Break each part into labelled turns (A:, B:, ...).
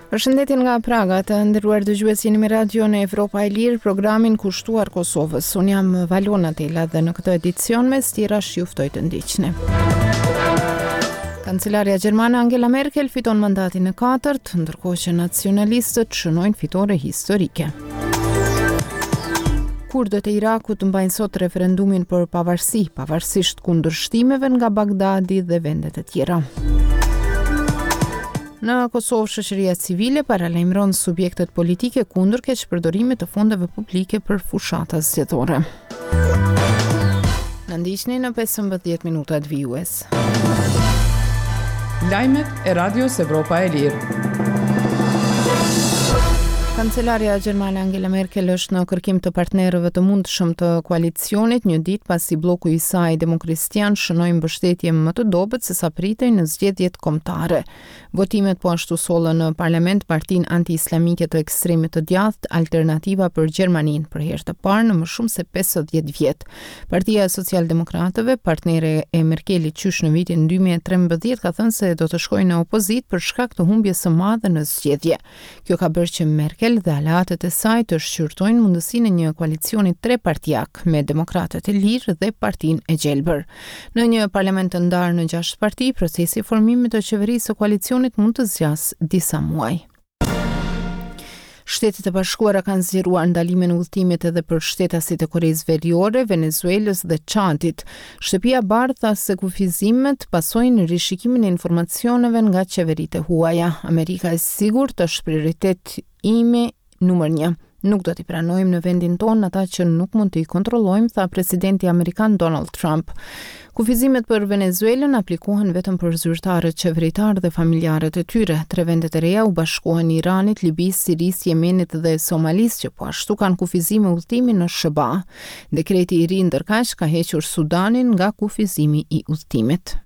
A: Përshëndetje nga Praga, të nderuar dëgjues jeni me Radion Evropa e Lirë, programin kushtuar Kosovës. Unë jam Valona Tela dhe në këtë edicion mes tjerash ju ftoj të ndiqni. Kancelarja gjermane Angela Merkel fiton mandatin e katërt, ndërkohë që nacionalistët shënojnë fitore historike. Kurdët e Irakut mbajnë sot referendumin për pavarësi, pavarësisht kundërshtimeve nga Bagdadi dhe vendet e tjera. Në Kosovë, shoqëria civile paralajmëron subjektet politike kundër keqpërdorimit të fondeve publike për fushata zgjedhore. Na ndiqni në 15 minutat
B: vijues. Lajmet e Radios Evropa e Lirë.
A: Kancelarja gjermane Angela Merkel është në kërkim të partnerëve të mundshëm të koalicionit një ditë pasi blloku i saj demokristian shënoi mbështetje më të dobët se sa pritej në zgjedhjet kombëtare. Votimet po ashtu sollën në parlament partinë anti-islamike të ekstremit të djathtë Alternativa për Gjermaninë për herë të parë në më shumë se 50 vjet. Partia e Socialdemokratëve, partnere e Merkelit qysh në vitin 2013, ka thënë se do të shkojë në opozitë për shkak të humbjes së madhe në zgjedhje. Kjo ka bërë që Merkel dhe aleatët e saj të shqyrtojnë mundësinë e një koalicioni trepartiak me Demokratët e Lirë dhe Partinë e Gjelbër. Në një parlament të ndarë në gjashtë parti, procesi i formimit të qeverisë së koalicionit mund të zgjasë disa muaj. Shtetet e Bashkuara kanë zgjeruar ndalimin e udhëtimit edhe për shtetasit e Koresë Veriore, Venezuelës dhe Çadit. Shtëpia e Bardhë tha se kufizimet pasojnë rishikimin e informacioneve nga qeveritë e huaja. Amerika e sigurt është prioritet imi numër një. Nuk do t'i pranojmë në vendin tonë ata që nuk mund t'i kontrollojmë, tha presidenti amerikan Donald Trump. Kufizimet për Venezuelën aplikohen vetëm për zyrtarët qeveritarë dhe familjarët e tyre. Tre vendet e reja u bashkohen Iranit, Libisë, Sirisë, Jemenit dhe Somalisë, që po ashtu kanë kufizime udhëtimi në SHBA. Dekreti i ri ndërkaq ka hequr Sudanin nga kufizimi i udhëtimit.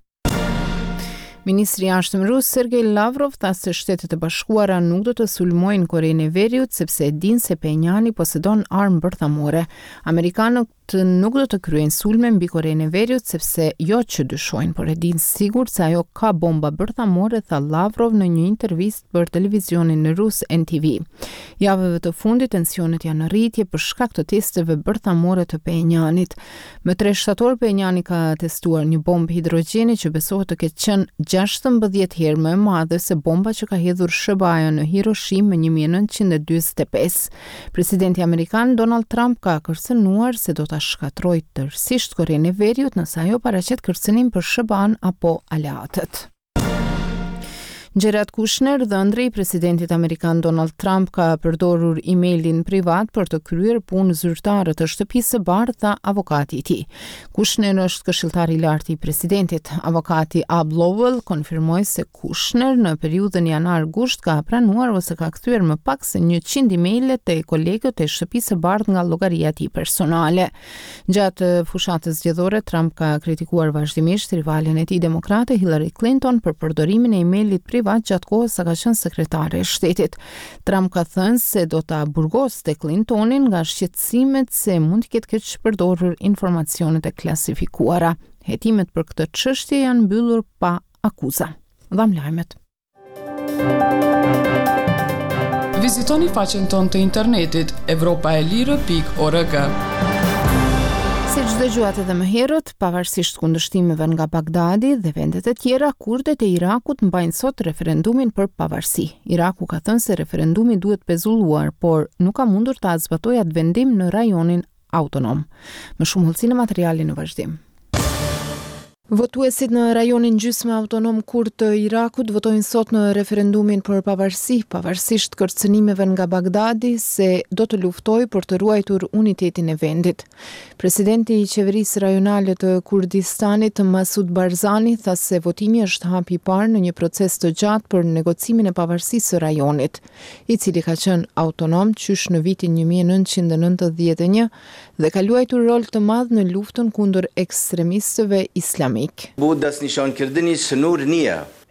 A: Ministri i Jashtëm rus Sergej Lavrov tha se Shtetet e Bashkuara nuk do të sulmojnë Korenë e Veriut sepse e dinë se Phenjani posedon armë bërthamore. Amerikanët nuk do të kryejnë sulme mbi Korenë e Veriut sepse jo që dyshojnë, por e dinë sigurt se ajo ka bomba bërthamore, tha Lavrov në një intervistë për televizionin rus NTV. Javëve të fundit tensionet janë në rritje për shkak të testeve bërthamore të Phenjanit. Më 3 shtator Phenjani ka testuar një bombë hidrogjeni që besohet të ketë qenë 16 herë më e madhe se bomba që ka hedhur SHBA-ja në Hiroshima më 1945. Presidenti amerikan Donald Trump ka kërcënuar se do ta shkatërrojë tërësisht Korenë e Veriut nëse ajo paraqet kërcënim për SHBA-n apo aleatët. Jared Kushner, dhëndri i presidentit amerikan Donald Trump, ka përdorur emailin privat për të kryer punë zyrtare të Shtëpisë së Bardhë, tha avokati i tij. Kushner është këshilltar i lartë i presidentit. Avokati Abbe Lowell konfirmoi se Kushner në periudhën janar-gusht ka pranuar ose ka kthyer më pak se 100 emaile te kolegët e Shtëpisë së Bardhë nga llogaria e tij personale. Gjatë fushatës zgjedhore, Trump ka kritikuar vazhdimisht rivalen e tij demokrate Hillary Clinton për përdorimin e emailit privat gjatë kohës sa ka qenë sekretare e shtetit. Trump ka thënë se do ta burgoste Clintonin nga shqetësimet se mund të ketë keqpërdorur informacionet e klasifikuara. Hetimet për këtë çështje janë mbyllur pa akuza. Dhamë lajmet.
B: Vizitoni faqen tonë të internetit evropaelire.org.
A: Siç dëgjuat edhe më herët, pavarësisht kundërshtimeve nga Bagdadi dhe vendet e tjera, kurdët e Irakut mbajnë sot referendumin për pavarësi. Iraku ka thënë se referendumi duhet pezulluar, por nuk ka mundur ta zbatojë atë vendim në rajonin autonom. Më shumë hollësi në materialin në vazhdim. Votuesit në rajonin gjysmë autonom kurd të Irakut votojnë sot në referendumin për pavarësi, pavarësisht kërcënimeve nga Bagdadi se do të luftojë për të ruajtur unitetin e vendit. Presidenti i qeverisë rajonale të Kurdistanit, Masud Barzani, tha se votimi është hapi i parë në një proces të gjatë për negocimin e pavarësisë së rajonit. i cili ka qenë autonom qysh në vitin 1991 dhe ka luajtur rol të madh në luftën kundër ekstremistëve islamikë.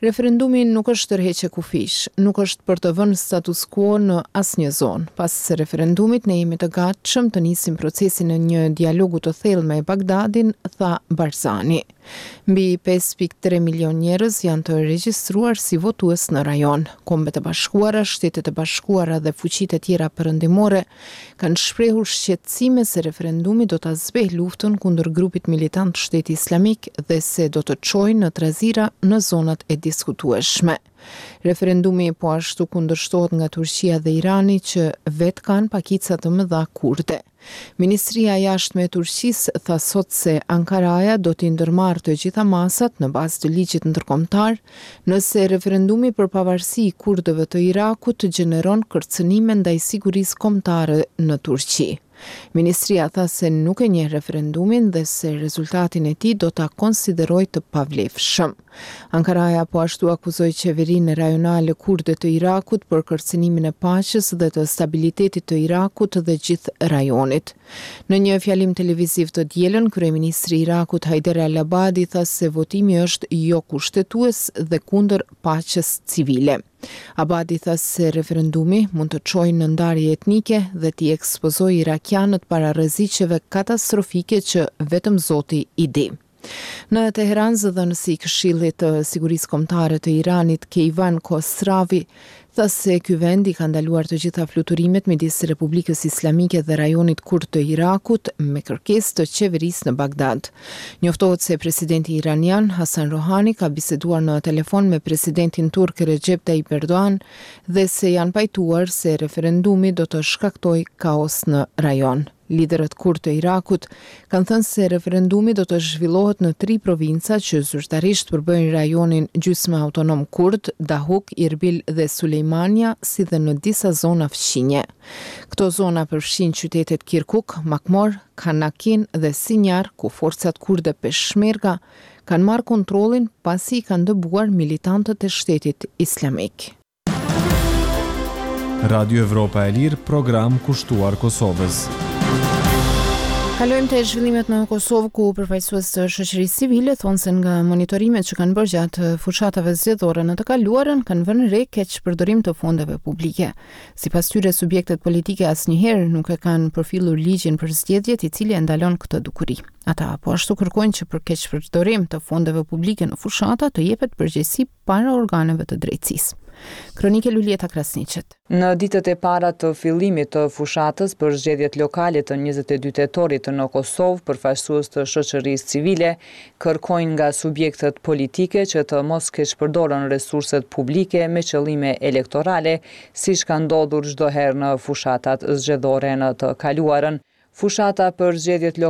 A: Referendumi nuk është tërheqje kufijsh, nuk është për të vënë status quo në asnjë zonë. Pas referendumit ne jemi të gatshëm të nisim procesin e një dialogu të thellë me Bagdadin, tha Barzani. Mbi 5.3 milionë njerëz janë të regjistruar si votues në rajon. Kombet e Bashkuara, Shtetet e Bashkuara dhe fuqitë e tjera perëndimore kanë shprehur shqetësime se referendumi do ta zbehë luftën kundër grupit militant Shteti Islamik dhe se do të çojë në trazira në zonat e diskutueshme. Referendumi po ashtu kundërshtohet nga Turqia dhe Irani që vetë kanë pakica të mëdha kurde. Ministria e Jashtme e Turqisë tha sot se Ankaraja do t'i ndërmarrë të gjitha masat në bazë të ligjit ndërkombëtar nëse referendumi për pavarësi i kurdëve të Irakut gjeneron kërcënime ndaj sigurisë kombëtare në Turqi. Ministria tha se nuk e njeh referendumin dhe se rezultatin e tij do ta konsiderojë të pavlefshëm. Ankaraja po ashtu akuzoi qeverinë rajonale kurde të Irakut për kërcënimin e paqes dhe të stabilitetit të Irakut dhe gjithë rajonit. Në një fjalim televiziv të dielën, kryeministri i Irakut Haider al-Abadi tha se votimi është jokushtetues dhe kundër paqes civile. Abadi tha se referendumi mund të çojë në ndarje etnike dhe t'i ekspozojë irakianët para rreziqeve katastrofike që vetëm Zoti i di. Në Teheran, zëdhënësi i Këshillit të Sigurisë Kombëtare të Iranit, Keyvan Khosravi, tha se ky vend i ka ndaluar të gjitha fluturimet midis Republikës Islamike dhe rajonit kurd të Irakut me kërkesë të qeverisë në Bagdad. Njoftohet se presidenti iranian, Hassan Rouhani ka biseduar në telefon me presidentin turk Recep Tayyip Erdogan dhe se janë pajtuar se referendumi do të shkaktojë kaos në rajon. Liderët kurdë të Irakut kanë thënë se referendumi do të zhvillohet në tri provinca që zyrtarisht përbëjnë rajonin gjysmë autonom kurd, Dahuk, Irbil dhe Sulejmania, si dhe në disa zona fqinje. Këto zona përfshijnë qytetet Kirkuk, Makmor, Kanakin dhe Sinjar, ku forcat kurde Peshmerga kanë marrë kontrollin pasi i kanë dëbuar militantët e Shtetit Islamik.
C: Radio Evropa e Lirë, program kushtuar Kosovës.
A: Kalojmë te zhvillimet në Kosovë ku përfaqësues të shoqërisë civile thonë se nga monitorimet që kanë bërë gjatë fushatave zgjedhore në të kaluarën kanë vënë re keqpërdorim të fondeve publike. Sipas tyre, subjektet politike asnjëherë nuk e kanë përfillur ligjin për zgjedhjet i cili e ndalon këtë dukuri. Ata po ashtu kërkojnë që për keqpërdorim të fondeve publike në fushata të jepet përgjegjësi para organeve të drejtësisë. Kronikë e Luljeta Krasniqit.
D: Në ditët e para të fillimit të fushatës për zgjedhjet lokale të 22 tetorit në Kosovë, përfaqësues të shoqërisë civile kërkojnë nga subjektet politike që të mos keqpërdoren resurset publike me qëllime elektorale, siç ka ndodhur çdo herë në fushatat zgjedhore në të kaluarën. Fushata për zgjedhjet lokale.